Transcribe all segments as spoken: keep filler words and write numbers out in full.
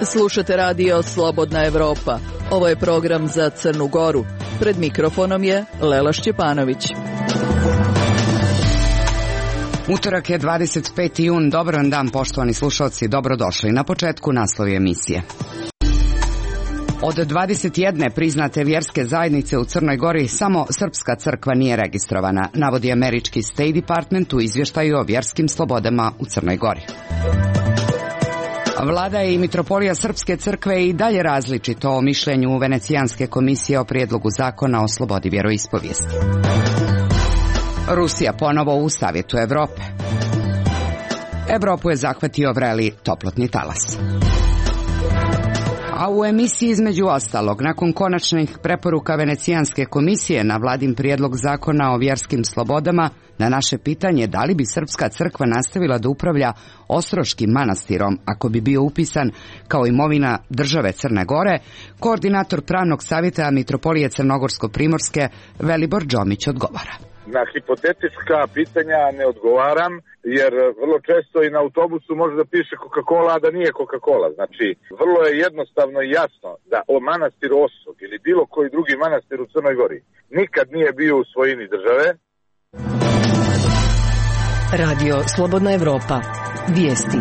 Slušate radio Slobodna Evropa. Ovo je program za Crnu Goru. Pred mikrofonom je Lela Šćepanović. Utorak je dvadeset peti jun. Dobar dan, poštovani slušalci, dobrodošli. Na početku naslovi emisije. Od dvadeset jedne priznate vjerske zajednice u Crnoj Gori samo srpska crkva nije registrovana, navodi američki State Department u izvještaju o vjerskim slobodama u Crnoj Gori. Vlada i mitropolija Srpske crkve i dalje različito o mišljenju Venecijanske komisije o prijedlogu zakona o slobodi vjeroispovijesti. Rusija ponovo u Savjetu Evrope. Evropu je zahvatio vreli toplotni talas. A u emisiji između ostalog, nakon konačnih preporuka Venecijanske komisije na vladin prijedlog zakona o vjerskim slobodama, na naše pitanje da li bi Srpska crkva nastavila da upravlja Ostroškim manastirom ako bi bio upisan kao imovina države Crne Gore, koordinator pravnog savjeta mitropolije Crnogorsko-Primorske Velibor Đomić odgovara. Na hipotetička pitanja ne odgovaram, jer vrlo često i na autobusu može da piše Coca-Cola, a da nije Coca-Cola. Znači, vrlo je jednostavno i jasno da o manastiru Osog ili bilo koji drugi manastir u Crnoj Gori nikad nije bio u svojini države. Radio Slobodna Evropa. Vijesti.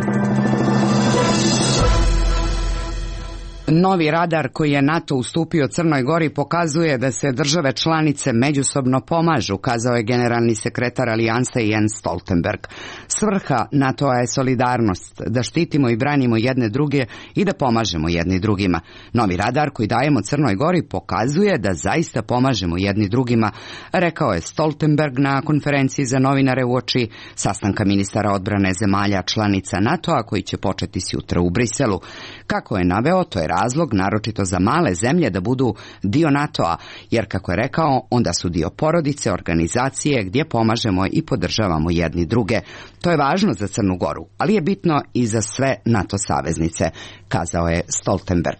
Novi radar koji je NATO ustupio Crnoj Gori pokazuje da se države članice međusobno pomažu, kazao je generalni sekretar alijanse Jens Stoltenberg. Svrha NATO-a je solidarnost, da štitimo i branimo jedne druge i da pomažemo jedni drugima. Novi radar koji dajemo Crnoj Gori pokazuje da zaista pomažemo jedni drugima, rekao je Stoltenberg na konferenciji za novinare uoči sastanka ministara odbrane zemalja članica NATO-a koji će početi sutra u Briselu. Kako je naveo, to je razlog naročito za male zemlje da budu dio NATO-a, jer kako je rekao, onda su dio porodice, organizacije gdje pomažemo i podržavamo jedni druge. To je važno za Crnu Goru, ali je bitno i za sve NATO saveznice, kazao je Stoltenberg.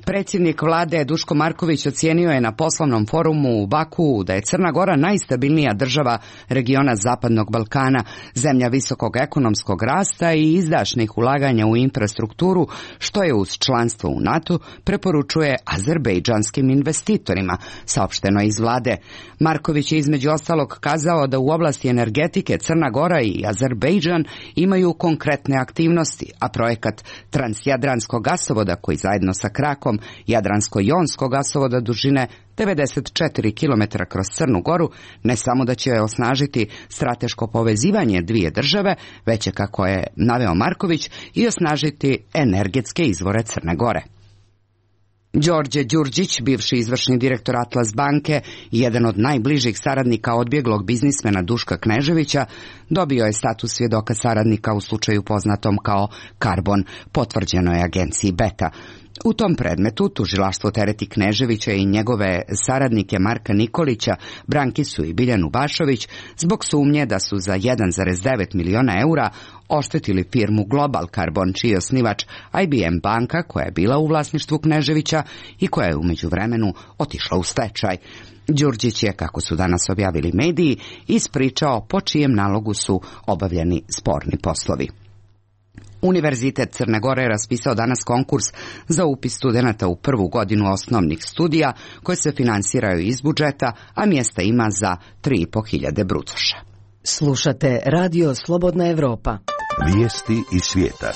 Predsjednik vlade Duško Marković ocijenio je na poslovnom forumu u Baku da je Crna Gora najstabilnija država regiona Zapadnog Balkana, zemlja visokog ekonomskog rasta i izdašnih ulaganja u infrastrukturu, što je uz članstvo u NATO preporučuje azerbejdžanskim investitorima, saopšteno iz vlade. Marković je između ostalog kazao da u oblasti energetike Crna Gora i Azerbejdžan imaju konkretne aktivnosti, a projekat Transjadranskog gasovoda koji zajedno sa krakom Jadransko-jonskog gasovoda dužine devedeset četiri kilometra kroz Crnu Goru ne samo da će osnažiti strateško povezivanje dvije države, već je, kako je naveo Marković, i osnažiti energetske izvore Crne Gore. Đorđe Đurđić, bivši izvršni direktor Atlas banke i jedan od najbližih saradnika odbjeglog biznismena Duška Kneževića, dobio je status svjedoka saradnika u slučaju poznatom kao Karbon, potvrđeno je agenciji Beta. U tom predmetu tužilaštvo tereti Kneževića i njegove saradnike Marka Nikolića, Brankisu i Biljanu Bašović zbog sumnje da su za jedan zarez devet miliona eura oštetili firmu Global Carbon, čiji je osnivač I B M banka koja je bila u vlasništvu Kneževića i koja je u međuvremenu otišla u stečaj. Đurđić je, kako su danas objavili mediji, ispričao po čijem nalogu su obavljeni sporni poslovi. Univerzitet Crne Gore je raspisao danas konkurs za upis studenata u prvu godinu osnovnih studija koje se finansiraju iz budžeta, a mjesta ima za tri i po hiljade brucoša. Slušate Radio Slobodna Evropa. Vijesti iz svijeta.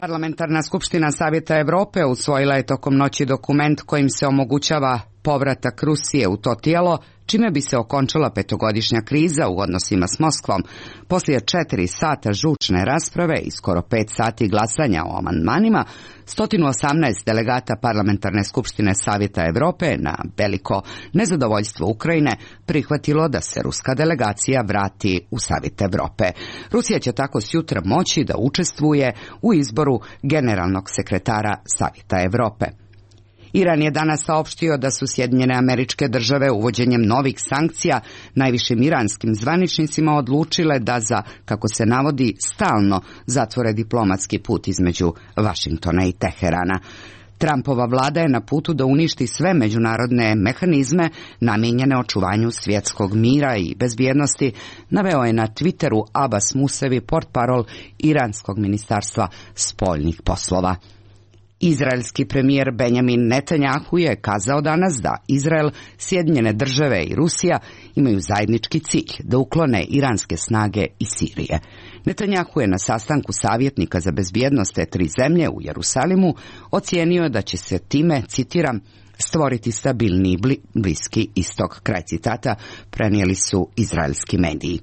Parlamentarna skupština Savjeta Evrope usvojila je tokom noći dokument kojim se omogućava povratak Rusije u to tijelo, čime bi se okončala petogodišnja kriza u odnosima s Moskvom. Poslije četiri sata žučne rasprave i skoro pet sati glasanja o amandmanima, sto osamnaest delegata Parlamentarne skupštine Savjeta Evrope na veliko nezadovoljstvo Ukrajine prihvatilo da se ruska delegacija vrati u Savjet Evrope. Rusija će tako sjutra moći da učestvuje u izboru generalnog sekretara Savjeta Evrope. Iran je danas saopštio da su Sjedinjene Američke Države uvođenjem novih sankcija najvišim iranskim zvaničnicima odlučile da za, kako se navodi, stalno zatvore diplomatski put između Vašingtona i Teherana. Trumpova vlada je na putu da uništi sve međunarodne mehanizme namijenjene očuvanju svjetskog mira i bezbjednosti, naveo je na Twitteru Abbas Musevi, portparol Iranskog ministarstva spoljnih poslova. Izraelski premijer Benjamin Netanjahu je kazao danas da Izrael, Sjedinjene države i Rusija imaju zajednički cilj da uklone iranske snage iz Sirije. Netanjahu je na sastanku savjetnika za bezbjednost te tri zemlje u Jerusalimu ocijenio da će se time, citiram, stvoriti stabilniji bli, Bliski istok, kraj citata, prenijeli su izraelski mediji.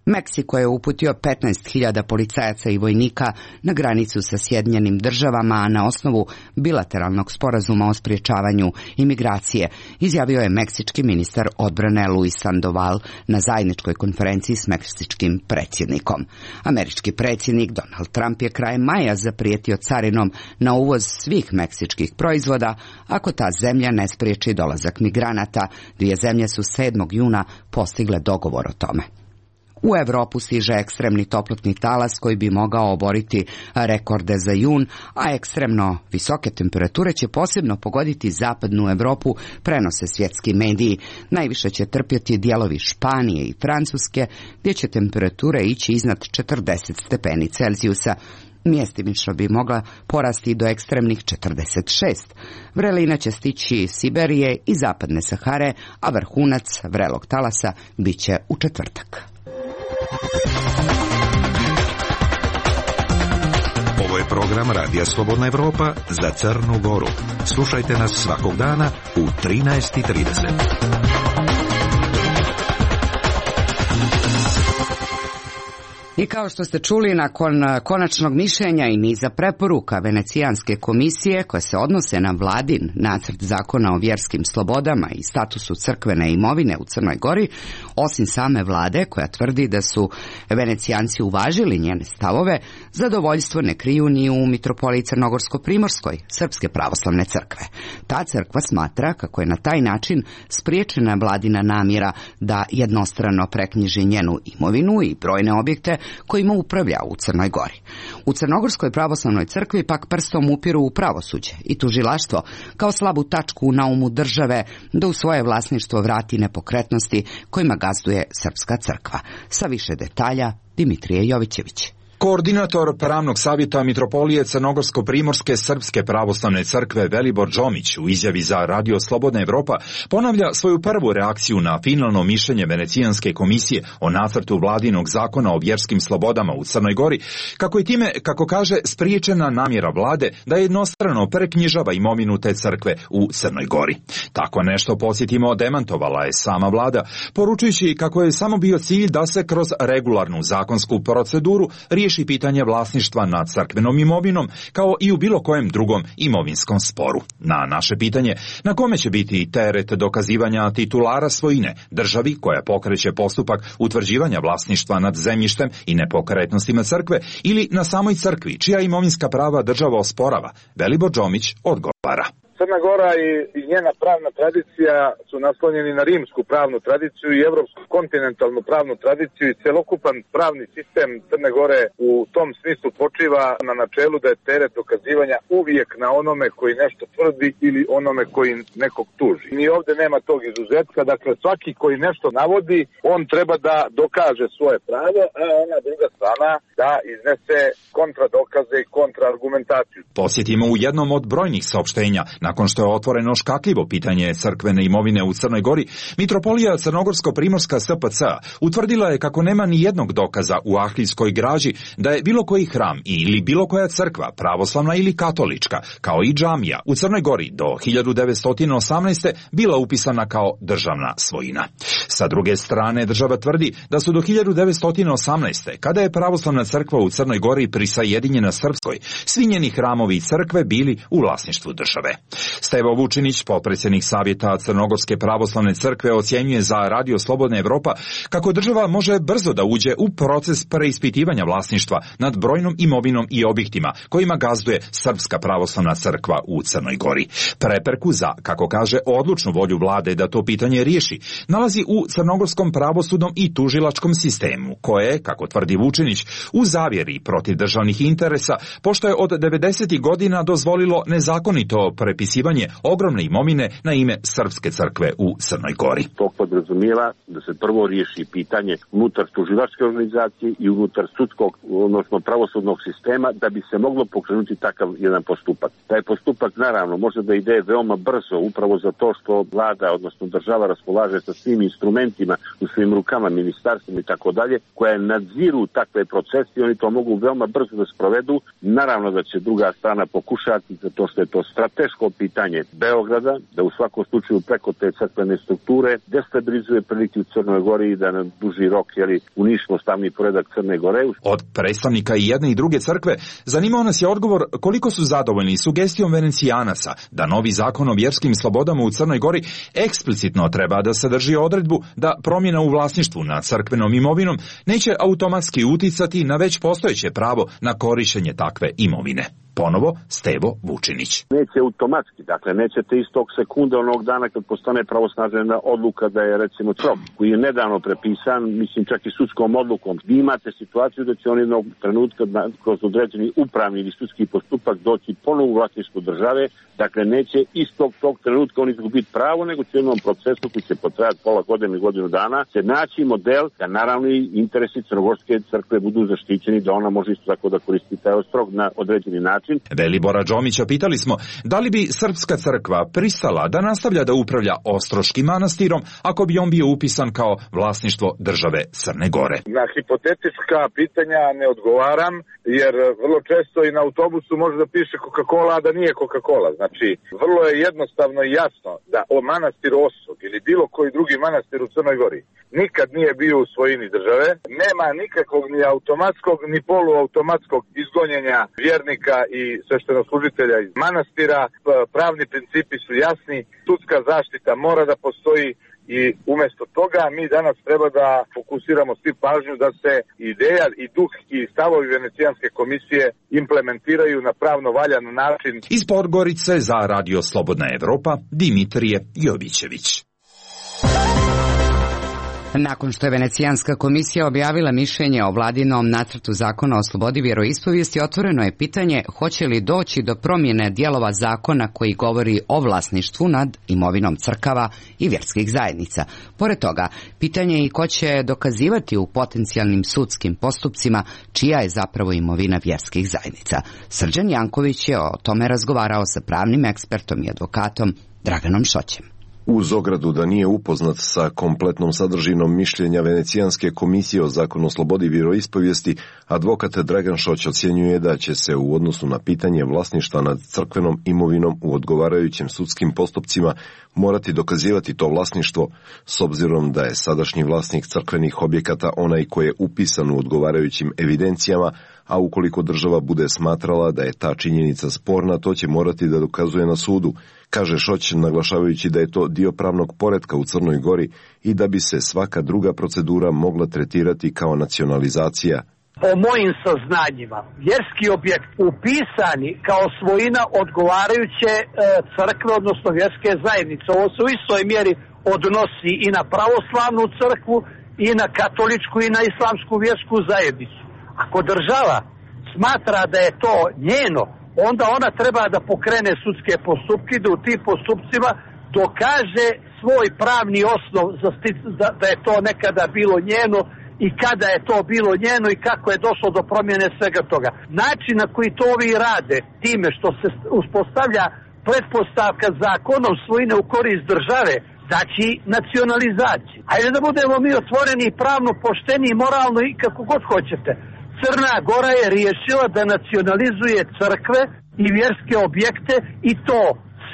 Meksiko je uputio petnaest hiljada policajaca i vojnika na granicu sa Sjedinjenim državama, a na osnovu bilateralnog sporazuma o sprječavanju imigracije, izjavio je meksički ministar odbrane Luis Sandoval na zajedničkoj konferenciji s meksičkim predsjednikom. Američki predsjednik Donald Trump je krajem maja zaprijetio carinom na uvoz svih meksičkih proizvoda ako ta zemlja ne spriječi dolazak migranata. Dvije zemlje su sedmog juna postigle dogovor o tome. U Europu stiže ekstremni toplotni talas koji bi mogao oboriti rekorde za jun, a ekstremno visoke temperature će posebno pogoditi zapadnu Europu, prenose svjetski mediji. Najviše će trpjeti dijelovi Španije i Francuske, gdje će temperature ići iznad četrdeset stepeni Celzijusa. Mjestimično bi mogla porasti do ekstremnih četrdeset šest. Vrelina će stići iz Siberije i zapadne Sahare, a vrhunac vrelog talasa bit će u četvrtak. Ovo je program Radija Slobodna Evropa za Crnu Goru. Slušajte nas svakog dana u trinaest i trideset. I kao što ste čuli, nakon konačnog mišljenja i niza preporuka Venecijanske komisije koje se odnose na vladin nacrt zakona o vjerskim slobodama i statusu crkvene imovine u Crnoj Gori, osim same vlade koja tvrdi da su Venecijanci uvažili njene stavove, zadovoljstvo ne kriju ni u mitropoliji Crnogorsko-Primorskoj Srpske pravoslavne crkve. Ta crkva smatra kako je na taj način spriječena vladina namjera da jednostrano preknjiži njenu imovinu i brojne objekte kojima upravlja u Crnoj Gori. U Crnogorskoj pravoslavnoj crkvi pak prstom upiru u pravosuđe i tužilaštvo kao slabu tačku na umu države da u svoje vlasništvo vrati nepokretnosti kojima gazduje Srpska crkva. Sa više detalja Dimitrije Jovićević. Koordinator pravnog savjeta mitropolije Crnogorsko-Primorske Srpske pravoslavne crkve Velibor Džomić u izjavi za Radio Slobodna Evropa ponavlja svoju prvu reakciju na finalno mišljenje Venecijanske komisije o nacrtu vladinog zakona o vjerskim slobodama u Crnoj Gori, kako je time, kako kaže, spriječena namjera vlade da jednostrano preknjižava imovinu te crkve u Crnoj Gori. Tako nešto, podsjetimo, demantovala je sama vlada, poručujući kako je samo bio cilj da se kroz regularnu zakonsku proceduru riješi pitanje vlasništva nad crkvenom imovinom, kao i u bilo kojem drugom imovinskom sporu. Na naše pitanje, na kome će biti teret dokazivanja titulara svojine, državi koja pokreće postupak utvrđivanja vlasništva nad zemljištem i nepokretnostima crkve, ili na samoj crkvi, čija imovinska prava država osporava, Velibor Džomić odgovara. Crna Gora i, i njena pravna tradicija su naslonjeni na rimsku pravnu tradiciju i evropsku kontinentalnu pravnu tradiciju i celokupan pravni sistem Crne Gore u tom smislu počiva na načelu da je teret dokazivanja uvijek na onome koji nešto tvrdi ili onome koji nekog tuži. Ni ovdje nema tog izuzetka, dakle svaki koji nešto navodi, on treba da dokaže svoje pravo, a ona druga strana da iznese kontradokaze i kontraargumentaciju. Posjetimo u jednom od brojnih saopštenja, nakon što je otvoreno škakljivo pitanje crkvene imovine u Crnoj Gori, mitropolija Crnogorsko-Primorska S P C utvrdila je kako nema ni jednog dokaza u arhivskoj građi da je bilo koji hram ili bilo koja crkva, pravoslavna ili katolička, kao i džamija u Crnoj Gori do hiljadu devetsto osamnaeste. bila upisana kao državna svojina. Sa druge strane, država tvrdi da su do hiljadu devetsto osamnaeste. kada je pravoslavna crkva u Crnoj Gori prisajedinjena Srpskoj, svi njeni hramovi i crkve bili u vlasništvu države. Stevo Vučinić, potpredsjednik Savjeta Crnogorske pravoslavne crkve, ocjenjuje za Radio Slobodna Evropa kako država može brzo da uđe u proces preispitivanja vlasništva nad brojnom imovinom i objektima kojima gazduje Srpska pravoslavna crkva u Crnoj Gori. Prepreku za, kako kaže, odlučnu volju vlade da to pitanje riješi nalazi u crnogorskom pravosudnom i tužilačkom sistemu, koje, kako tvrdi Vučinić, u zavjeri protiv državne državnih interesa, pošto je od devedesetih godina dozvolilo nezakonito prepisivanje ogromne imovine na ime Srpske crkve u Crnoj Gori. To podrazumijeva da se prvo riješi pitanje unutar tužilačke organizacije i unutar sudskog, odnosno pravosudnog sistema, da bi se moglo pokrenuti takav jedan postupak. Taj postupak naravno može da ide veoma brzo, upravo zato što vlada, odnosno država raspolaže sa svim instrumentima u svojim rukama, ministarstvima i tako dalje, koje nadziru takve procese i oni to mogu veoma brzo da sprovedu. Naravno da će druga strana pokušati, zato što je to strateško pitanje Beograda, da u svakom slučaju preko te crkvene strukture destabilizuje prilike u Crnoj Gori i da na duži rok jeli, uništimo stavni poredak Crne Gore. Od predstavnika i jedne i druge crkve zanimao nas je odgovor koliko su zadovoljni sugestijom Venecijanasa da novi zakon o vjerskim slobodama u Crnoj Gori eksplicitno treba da sadrži odredbu da promjena u vlasništvu nad crkvenom imovinom neće automatski uticati na već postojeće pravo na korištenje takve imovine. Ponovo Stevo Vučinić. Neće automatski, dakle nećete istog sekunda onog dana kad postane pravosnažena odluka da je recimo C R O K koji je nedavno prepisan, mislim čak i sudskom odlukom. Vi imate situaciju da će on jednog trenutka kroz određeni upravni ili sudski postupak doći ponovo u vlasništvu države, dakle neće istog tog trenutka on izgubiti pravo, nego će u jednom procesu koji će potrajati pola godine i godinu dana se naći model da naravno i interesi crnogorske crkve budu zaštićeni, da ona može isto tako da koristi taj ostrog na određeni način. Velibora Đomića pitali smo da li bi Srpska crkva pristala da nastavlja da upravlja Ostroškim manastirom ako bi on bio upisan kao vlasništvo države Crne Gore. Na hipotetička pitanja ne odgovaram, jer vrlo često i na autobusu može da piše Coca-Cola, a da nije Coca-Cola. Znači, vrlo je jednostavno i jasno da o manastir Osog ili bilo koji drugi manastir u Crnoj Gori nikad nije bio u svojini države. Nema nikakvog ni automatskog ni poluautomatskog izgonjenja vjernika i sveštenoslужitelja iz manastira. Pravni principi su jasni, sudska zaštita mora da postoji i umjesto toga mi danas treba da fokusiramo svi pažnju da se ideja i duh i stavovi Venecijanske komisije implementiraju na pravno valjan način. Iz Podgorice za Radio Slobodna Evropa Dimitrije Jovićević. Nakon što je Venecijanska komisija objavila mišljenje o vladinom nacrtu zakona o slobodi vjeroispovijesti, otvoreno je pitanje hoće li doći do promjene dijelova zakona koji govori o vlasništvu nad imovinom crkava i vjerskih zajednica. Pored toga, pitanje je i ko će dokazivati u potencijalnim sudskim postupcima čija je zapravo imovina vjerskih zajednica. Srđan Janković je o tome razgovarao sa pravnim ekspertom i advokatom Draganom Šoćem. Uz ogradu da nije upoznat sa kompletnom sadržinom mišljenja Venecijanske komisije o zakonu o slobodi vjeroispovijesti, advokat Dragan Šoć ocjenjuje da će se u odnosu na pitanje vlasništva nad crkvenom imovinom u odgovarajućim sudskim postupcima morati dokazivati to vlasništvo, s obzirom da je sadašnji vlasnik crkvenih objekata onaj koji je upisan u odgovarajućim evidencijama, a ukoliko država bude smatrala da je ta činjenica sporna, to će morati da dokazuje na sudu, kaže Šoć, naglašavajući da je to dio pravnog poretka u Crnoj Gori i da bi se svaka druga procedura mogla tretirati kao nacionalizacija. Po mojim saznanjima, vjerski objekt upisani kao svojina odgovarajuće e, crkve, odnosno vjerske zajednice. Ovo se u istoj mjeri odnosi i na pravoslavnu crkvu, i na katoličku, i na islamsku vjersku zajednicu. Ako država smatra da je to njeno, onda ona treba da pokrene sudske postupke, da u tim postupcima dokaže svoj pravni osnov za stic, da, da je to nekada bilo njeno i kada je to bilo njeno i kako je došlo do promjene svega toga. Način na koji to ovi rade, time što se uspostavlja pretpostavka zakonom svojine u korist države, znači nacionalizaciju. Ajde da budemo mi otvoreni i pravno pošteni i moralno i kako god hoćete. Crna Gora je riješila da nacionalizuje crkve i vjerske objekte i to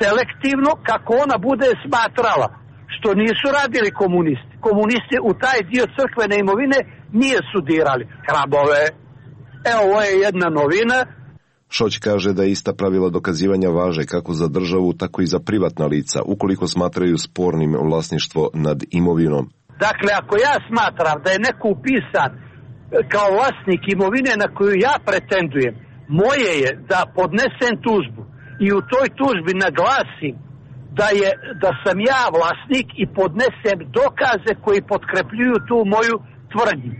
selektivno kako ona bude smatrala, što nisu radili komunisti. Komunisti u taj dio crkvene imovine nije sudirali. Hrabove, evo ovo je jedna novina. Šoć kaže da ista pravila dokazivanja važe kako za državu, tako i za privatna lica, ukoliko smatraju spornim vlasništvo nad imovinom. Dakle, ako ja smatram da je neko upisan kao vlasnik imovine na koju ja pretendujem, moje je da podnesem tužbu i u toj tužbi naglasim da, je, da sam ja vlasnik i podnesem dokaze koji potkrepljuju tu moju tvrdnju.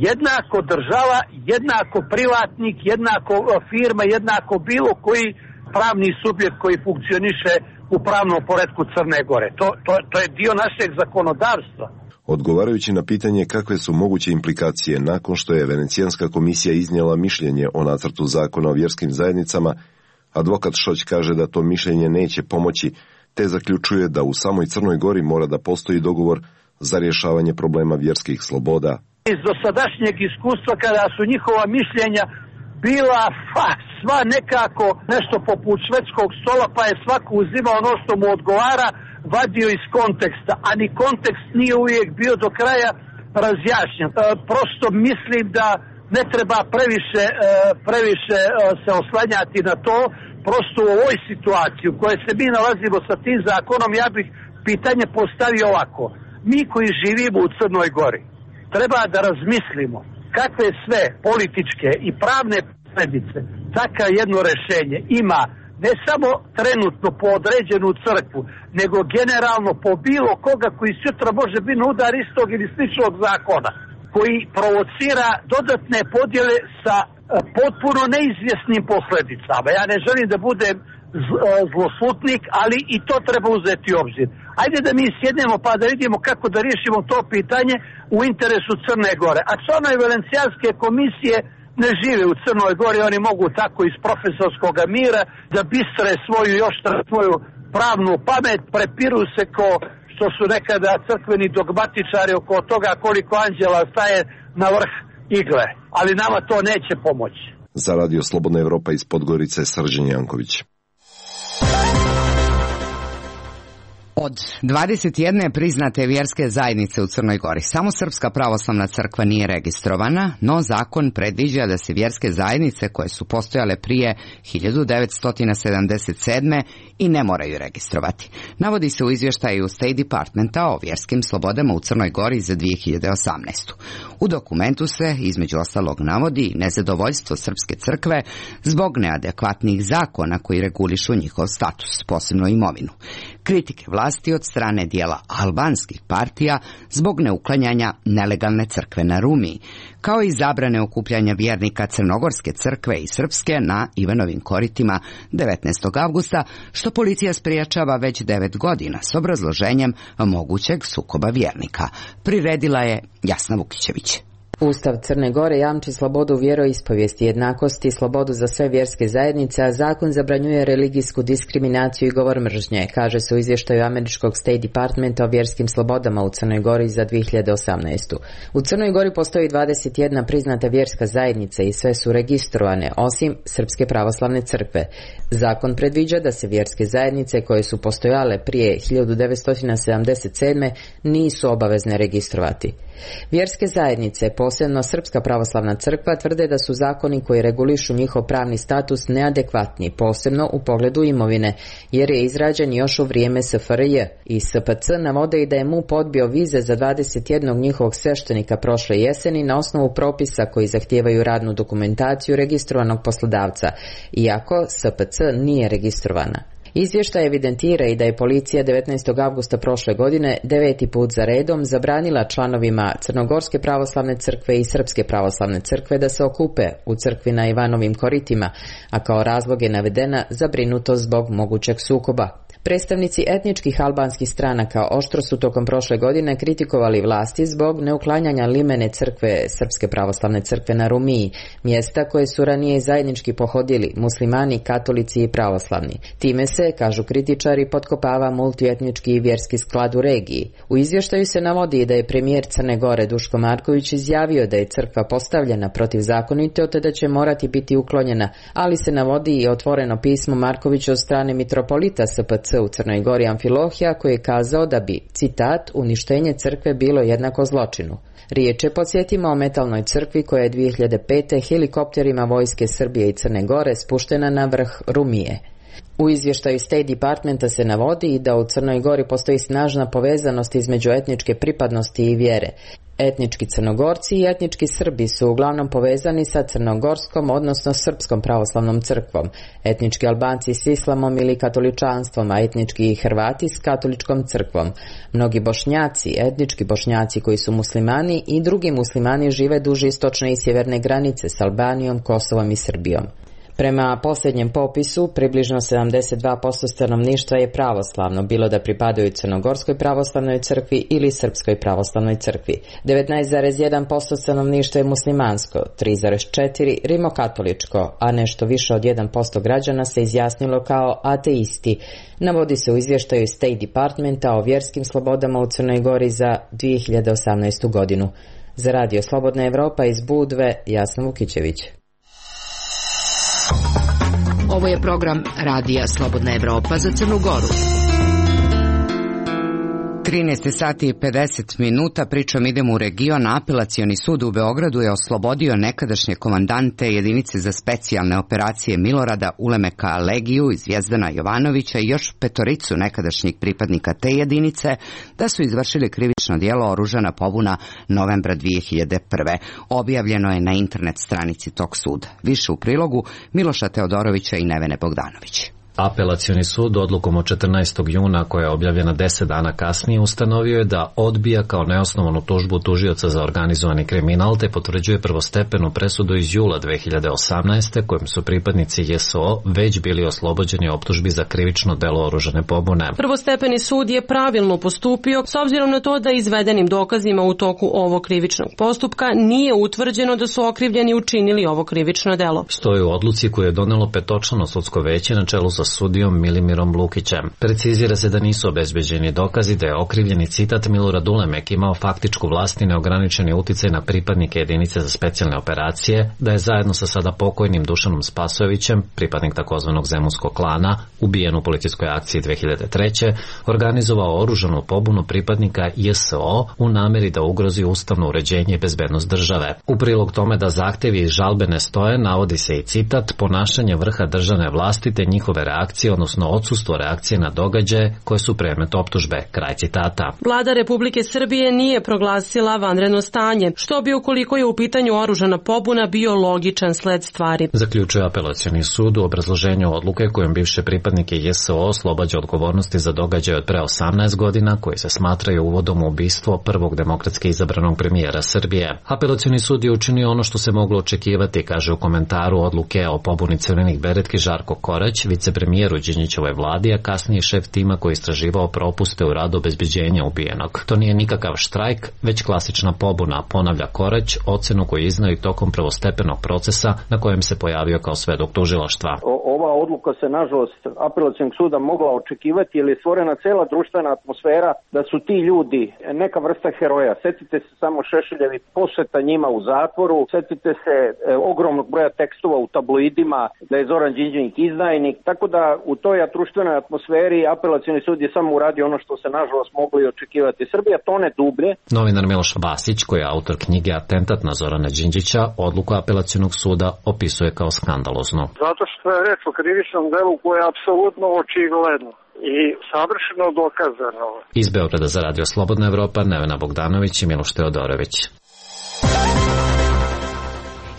jednako država, jednako privatnik, jednako firma, jednako bilo koji pravni subjekt koji funkcioniše u pravnom poretku Crne Gore. To, to, to je dio našeg zakonodavstva. Odgovarajući na pitanje kakve su moguće implikacije nakon što je Venecijanska komisija iznijela mišljenje o nacrtu zakona o vjerskim zajednicama, advokat Šoć kaže da to mišljenje neće pomoći, te zaključuje da u samoj Crnoj Gori mora da postoji dogovor za rješavanje problema vjerskih sloboda. Iz dosadašnjeg iskustva kada su njihova mišljenja bila fa, sva nekako nešto poput švedskog stola, pa je svako uzimao ono što mu odgovara, vadio iz konteksta, a ni kontekst nije uvijek bio do kraja razjašnjen. E, prosto mislim da ne treba previše, e, previše e, se oslanjati na to. Prosto u ovoj situaciji u kojoj se mi nalazimo sa tim zakonom, ja bih pitanje postavio ovako. Mi koji živimo u Crnoj Gori treba da razmislimo kakve sve političke i pravne posljedice takav jedno rješenje ima ne samo trenutno po određenu crkvu, nego generalno po bilo koga koji sutra može biti na udar istog ili sličnog zakona, koji provocira dodatne podjele sa potpuno neizvjesnim posljedicama. Ja ne želim da budem zloslutnik, ali i to treba uzeti u obzir. Ajde da mi sjednemo pa da vidimo kako da riješimo to pitanje u interesu Crne Gore. A članovi Venecijanske komisije ne žive u Crnoj Gori, oni mogu tako iz profesorskog mira da bistre svoju još svoju pravnu pamet, prepiru se ko što su nekada crkveni dogmatičari oko toga koliko anđela staje na vrh igle. Ali nama to neće pomoći. Za Radio Slobodna Evropa iz Podgorice, Srđan Janković. Od dvadeset jedne priznate vjerske zajednice u Crnoj Gori, samo Srpska pravoslavna crkva nije registrovana, no zakon predviđa da se vjerske zajednice koje su postojale prije hiljadu devetsto sedamdeset sedme i ne moraju registrovati. Navodi se u izvještaju State Departmenta o vjerskim slobodama u Crnoj Gori za dvije hiljade osamnaestu. U dokumentu se, između ostalog, navodi nezadovoljstvo Srpske crkve zbog neadekvatnih zakona koji regulišu njihov status, posebno imovinu. Kritike vlasti od strane dijela albanskih partija zbog neuklanjanja nelegalne crkve na Rumiji, kao i zabrane okupljanja vjernika Crnogorske crkve i Srpske na Ivanovim koritima devetnaestog avgusta, što policija spriječava već devet godina s obrazloženjem mogućeg sukoba vjernika. Priredila je Jasna Vukićević. Ustav Crne Gore jamči slobodu vjeroispovijesti, jednakosti i slobodu za sve vjerske zajednice, a zakon zabranjuje religijsku diskriminaciju i govor mržnje, kaže se u izvještaju američkog State Departmenta o vjerskim slobodama u Crnoj Gori za dvije hiljade osamnaestu. U Crnoj Gori postoji dvadeset jedna priznata vjerska zajednica i sve su registrovane, osim Srpske pravoslavne crkve. Zakon predviđa da se vjerske zajednice koje su postojale prije hiljadu devetsto sedamdeset sedme nisu obavezne registrovati. Vjerske zajednice, posebno Srpska pravoslavna crkva, tvrde da su zakoni koji regulišu njihov pravni status neadekvatni, posebno u pogledu imovine, jer je izrađen još u vrijeme S F R J. I S P C navode i da je M U P odbio vize za dvadeset jednog njihovog sveštenika prošle jeseni na osnovu propisa koji zahtijevaju radnu dokumentaciju registrovanog poslodavca, iako S P C nije registrovana. Izvještaj evidentira i da je policija devetnaestog avgusta prošle godine deveti put za redom zabranila članovima Crnogorske pravoslavne crkve i Srpske pravoslavne crkve da se okupe u crkvi na Ivanovim koritima, a kao razlog je navedena zabrinutost zbog mogućeg sukoba. Predstavnici etničkih albanskih stranaka oštro su tokom prošle godine kritikovali vlasti zbog neuklanjanja limene crkve Srpske pravoslavne crkve na Rumiji, mjesta koje su ranije zajednički pohodili muslimani, katolici i pravoslavni. Time se, kažu kritičari, potkopava multietnički i vjerski sklad u regiji. U izvještaju se navodi da je premijer Crne Gore Duško Marković izjavio da je crkva postavljena protivzakonito te da će morati biti uklonjena, ali se navodi i otvoreno pismo Markovića od strane mitropolita S P C u Crnoj Gori Amfilohija, koji je kazao da bi, citat, uništenje crkve bilo jednako zločinu. Riječ je, podsjetimo, o metalnoj crkvi koja je dvije hiljade pete helikopterima vojske Srbije i Crne Gore spuštena na vrh Rumije. U izvještaju State Departmenta se navodi i da u Crnoj Gori postoji snažna povezanost između etničke pripadnosti i vjere. Etnički Crnogorci i etnički Srbi su uglavnom povezani sa crnogorskom, odnosno srpskom pravoslavnom crkvom, etnički Albanci s islamom ili katoličanstvom, a etnički Hrvati s katoličkom crkvom. Mnogi Bošnjaci, etnički Bošnjaci koji su muslimani i drugi muslimani žive duž istočne i sjeverne granice s Albanijom, Kosovom i Srbijom. Prema posljednjem popisu, približno sedamdeset dva posto stanovništva je pravoslavno, bilo da pripadaju Crnogorskoj pravoslavnoj crkvi ili Srpskoj pravoslavnoj crkvi. devetnaest zarez jedan posto stanovništva je muslimansko, tri zarez četiri posto rimokatoličko, a nešto više od jedan posto građana se izjasnilo kao ateisti. Navodi se u izvještaju State Departmenta o vjerskim slobodama u Crnoj Gori za dvije hiljade osamnaestu. godinu. Za Radio Slobodna Evropa iz Budve, Jasna Vukićević. Ovo je program Radija Slobodna Evropa za Crnu Goru. trinaest sati i pedeset minuta, pričom idemo u region. Apelacioni sud u Beogradu je oslobodio nekadašnje komandante jedinice za specijalne operacije Milorada Ulemeka Legiju i Zvijezdana Jovanovića i još petoricu nekadašnjih pripadnika te jedinice da su izvršili krivično djelo oružana pobuna novembra dvije hiljade prve. Objavljeno je na internet stranici tog suda. Više u prilogu Miloša Teodorovića i Nevene Bogdanović. Apelacioni sud odlukom od četrnaestog juna, koja je objavljena deset dana kasnije, ustanovio je da odbija kao neosnovanu tužbu tužioca za organizovani kriminal te potvrđuje prvostepenu presudu iz jula dve hiljade osamnaeste kojim su pripadnici J S O već bili oslobođeni optužbi za krivično delo oružane pobune. Prvostepeni sud je pravilno postupio s obzirom na to da izvedenim dokazima u toku ovog krivičnog postupka nije utvrđeno da su okrivljeni učinili ovo krivično delo. Stoji u odluci koju je donelo petočlano sudsko veće na čelu sa sudijom Milimirom Lukićem. Precizira se da nisu obezbeđeni dokazi da je okrivljeni citat Milorad Ulemek imao faktičku vlast i neograničeni uticaj na pripadnike jedinice za specijalne operacije, da je zajedno sa sada pokojnim Dušanom Spasojevićem, pripadnik takozvanog Zemunskog klana, ubijen u policijskoj akciji dve hiljade treće. organizovao oružanu pobunu pripadnika J S O u nameri da ugrozi ustavno uređenje i bezbednost države. U prilog tome da zahtjevi i žalbe ne stoje, navodi se i citat ponašanje vrha državne vlasti te njihove reakcije, odnosno odsustvo reakcije na događaje koje su predmet optužbe. Kraj citata. Vlada Republike Srbije nije proglasila vanredno stanje, što bi ukoliko je u pitanju oružana pobuna bio logičan sled stvari. Zaključuje apelacioni sud u obrazloženju odluke kojom bivše pripadnike J S O oslobađa odgovornosti za događaje od pre osamnaest godina koji se smatraju uvodom u ubistvo prvog demokratski izabranog premijera Srbije. Apelacioni sud je učinio ono što se moglo očekivati, kaže u komentaru odluke o pobuni crvenih beretki Žarko Korać, vicepremijer u Đinđićevoj vladi, a kasnije šef tima koji istraživao propuste u radu obezbeđenja ubijenog. To nije nikakav štrajk, već klasična pobuna, ponavlja Korać, ocenu koju iznao i tokom prvostepenog procesa na kojem se pojavio kao svedok tužilaštva. Ova odluka se nažalost apelacionog suda mogla očekivati jer je stvorena cela društvena atmosfera da su ti ljudi neka vrsta heroja. Setite se samo Šešeljevi posjeta njima u zatvoru, setite se e, ogromnog broja tekstova u tabloidima da je Zoran Đinđić izdajnik, tako da u toj društvenoj atmosferi apelacioni sud je samo uradio ono što se nažalost moglo i očekivati. Srbija tone dublje. Novinar Miloš Vasić, koji je autor knjige Atentat na Zorana Đinđića, odluku apelacionog suda opisuje kao skandalozno. Zato što je reč o krivičnom delu koje je apsolutno očigledno i savršeno dokazano. Iz Beograda za Radio Slobodna Evropa, Nevena Bogdanović i Miloš Teodorović.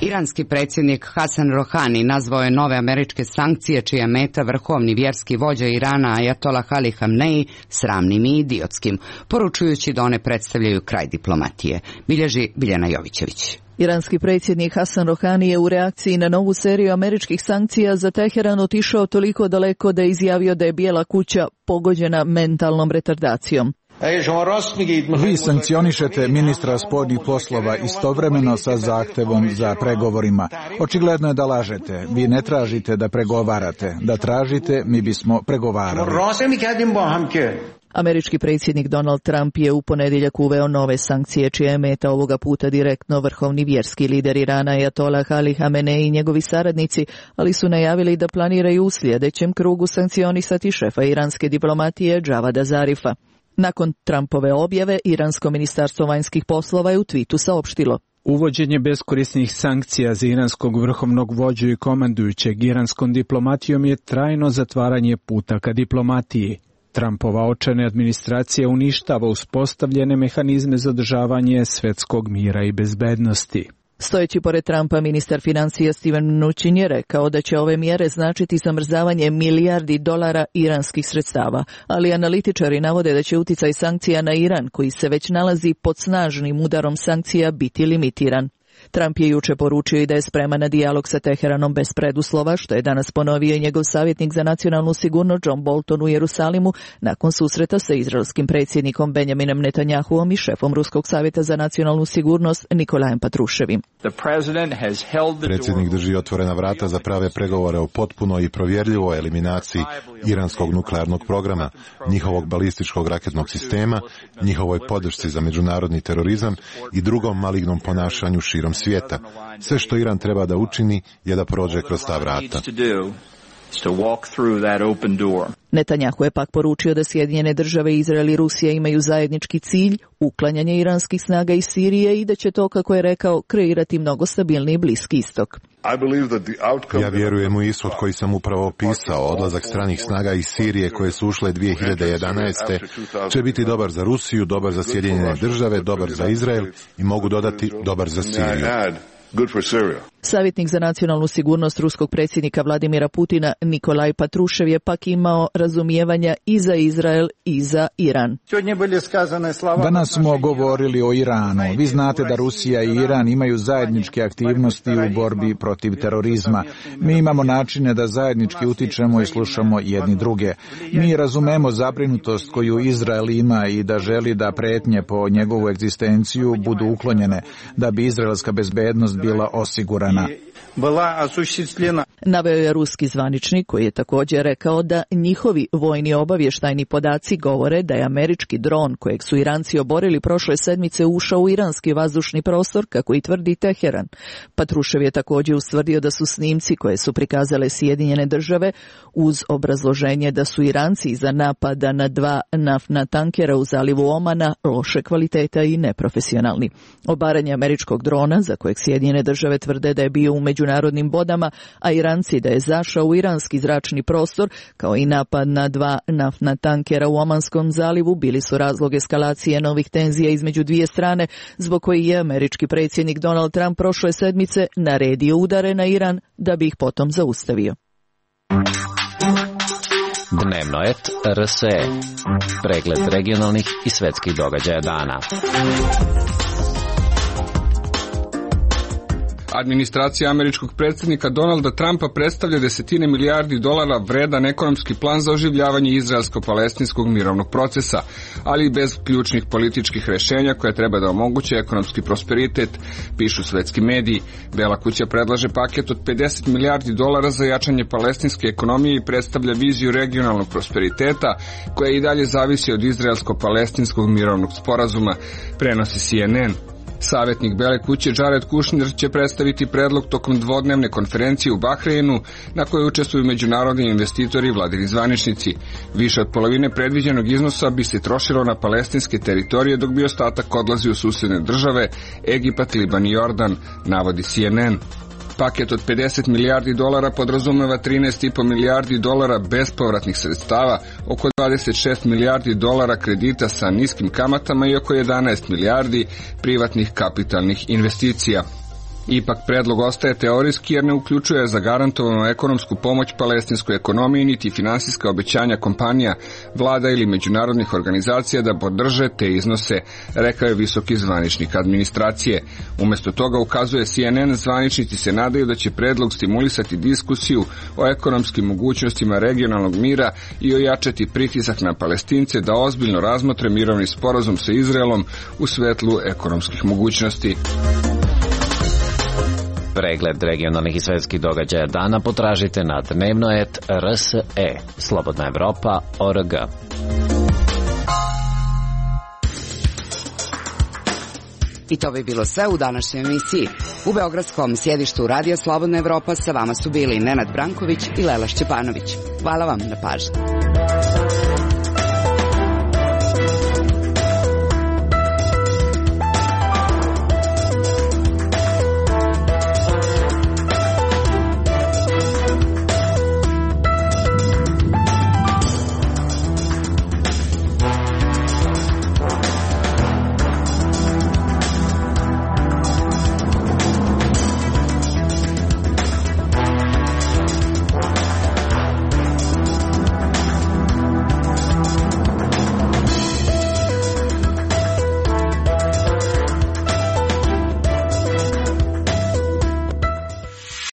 Iranski predsjednik Hasan Rohani nazvao je nove američke sankcije čija meta vrhovni vjerski vođa Irana Ajatola Ali Hamneji sramnim i idiotskim, poručujući da one predstavljaju kraj diplomatije. Bilježi Biljana Jovićević. Iranski predsjednik Hasan Rohani je u reakciji na novu seriju američkih sankcija za Teheran otišao toliko daleko da je izjavio da je Bijela kuća pogođena mentalnom retardacijom. Vi sankcionišete ministra spoljnih poslova istovremeno sa zahtevom za pregovorima. Očigledno je da lažete. Vi ne tražite da pregovarate. Da tražite, mi bismo pregovarali. Američki predsjednik Donald Trump je u ponedjeljak uveo nove sankcije čija je meta ovoga puta direktno vrhovni vjerski lider Irana Ajatola Ali Hamenei i njegovi saradnici, ali su najavili da planiraju u sljedećem krugu sankcionisati šefa iranske diplomatije Javada Zarifa. Nakon Trumpove objave, Iransko ministarstvo vanjskih poslova je u twitu saopštilo: Uvođenje beskorisnih sankcija za iranskog vrhovnog vođu i komandujućeg iranskom diplomatijom je trajno zatvaranje puta ka diplomatiji. Trumpova očajna administracija uništava uspostavljene mehanizme za održavanje svetskog mira i bezbednosti. Stojeći pored Trumpa, ministar financija Steven Mnuchin je rekao da će ove mjere značiti zamrzavanje milijardi dolara iranskih sredstava, ali analitičari navode da će uticaj sankcija na Iran, koji se već nalazi pod snažnim udarom sankcija, biti limitiran. Trump je juče poručio i da je spreman na dijalog sa Teheranom bez preduslova, što je danas ponovio i njegov savjetnik za nacionalnu sigurnost John Bolton u Jerusalimu nakon susreta sa izraelskim predsjednikom Benjaminom Netanjahuom i šefom Ruskog savjeta za nacionalnu sigurnost Nikolajem Patruševim. Predsjednik drži otvorena vrata za prave pregovore o potpunoj i provjerljivoj eliminaciji iranskog nuklearnog programa, njihovog balističkog raketnog sistema, njihovoj podršci za međunarodni terorizam i drugom malignom ponašanju širom svijeta. Sve što Iran treba da učini je da prođe kroz ta vrata. Netanjahu je pak poručio da Sjedinjene države, Izrael i Rusija imaju zajednički cilj, uklanjanje iranskih snaga iz Sirije i da će to, kako je rekao, kreirati mnogo stabilniji Bliski istok. Ja vjerujem u ishod koji sam upravo opisao. Odlazak stranih snaga iz Sirije koje su ušle dvije hiljade jedanaeste. će biti dobar za Rusiju, dobar za Sjedinjene države, dobar za Izrael i mogu dodati dobar za Siriju. Savjetnik za nacionalnu sigurnost ruskog predsjednika Vladimira Putina Nikolaj Patrušev je pak imao razumijevanja i za Izrael i za Iran. Danas smo govorili o Iranu. Vi znate da Rusija i Iran imaju zajedničke aktivnosti u borbi protiv terorizma. Mi imamo načine da zajednički utičemo i slušamo jedni druge. Mi razumemo zabrinutost koju Izrael ima i da želi da pretnje po njegovu egzistenciju budu uklonjene, da bi izraelska bezbednost bila osigurana. Naveo je ruski zvaničnik koji je također rekao da njihovi vojni obavještajni podaci govore da je američki dron kojeg su Iranci oborili prošle sedmice ušao u iranski vazdušni prostor, kako i tvrdi Teheran. Patrušev je također ustvrdio da su snimci koje su prikazale Sjedinjene države uz obrazloženje da su Iranci iza napada na dva naftna tankera u zalivu Omana loše kvaliteta i neprofesionalni. Obaranje američkog drona, za kojeg Sjedinjene države tvrde da je bio u međunarodnim vodama, a Iranci da je zašao u iranski zračni prostor, kao i napad na dva naftna tankera u Omanskom zalivu, bili su razlog eskalacije novih tenzija između dvije strane, zbog koji je američki predsjednik Donald Trump prošle sedmice naredio udare na Iran da bi ih potom zaustavio. Dnevno et R S E. Pregled regionalnih i svetskih događaja dana. Administracija američkog predsjednika Donalda Trumpa predstavlja desetine milijardi dolara vredan ekonomski plan za oživljavanje izraelsko-palestinskog mirovnog procesa, ali i bez ključnih političkih rješenja koje treba da omoguće ekonomski prosperitet, pišu svetski mediji. Bela kuća predlaže paket od pedeset milijardi dolara za jačanje palestinske ekonomije i predstavlja viziju regionalnog prosperiteta koja i dalje zavisi od izraelsko-palestinskog mirovnog sporazuma, prenosi C N N. Savjetnik Bele kuće Jared Kushner će predstaviti predlog tokom dvodnevne konferencije u Bahreinu na kojoj učestvuju međunarodni investitori i vladini zvaničnici. Više od polovine predviđenog iznosa bi se trošilo na palestinske teritorije, dok bi ostatak odlazio u susjedne države, Egipat, Liban i Jordan, navodi C N N. Paket od pedeset milijardi dolara podrazumeva trinaest i po milijardi dolara bespovratnih sredstava, oko dvadeset šest milijardi dolara kredita sa niskim kamatama i oko jedanaest milijardi privatnih kapitalnih investicija. Ipak predlog ostaje teorijski jer ne uključuje zagarantovanu ekonomsku pomoć palestinskoj ekonomiji niti finansijska obećanja kompanija, vlada ili međunarodnih organizacija da podrže te iznose, rekao je visoki zvaničnik administracije. Umjesto toga, ukazuje C N N, zvaničnici se nadaju da će predlog stimulisati diskusiju o ekonomskim mogućnostima regionalnog mira i ojačati pritisak na Palestince da ozbiljno razmotre mirovni sporazum sa Izraelom u svetlu ekonomskih mogućnosti. Pregled regionalnih i svetskih događaja dana potražite na dnevno et R S E, Slobodna Evropa, O R G. I to bi bilo sve u današnjoj emisiji. U beogradskom sjedištu Radija Slobodna Evropa sa vama su bili Nenad Branković i Lela Šćepanović. Hvala vam na pažnji.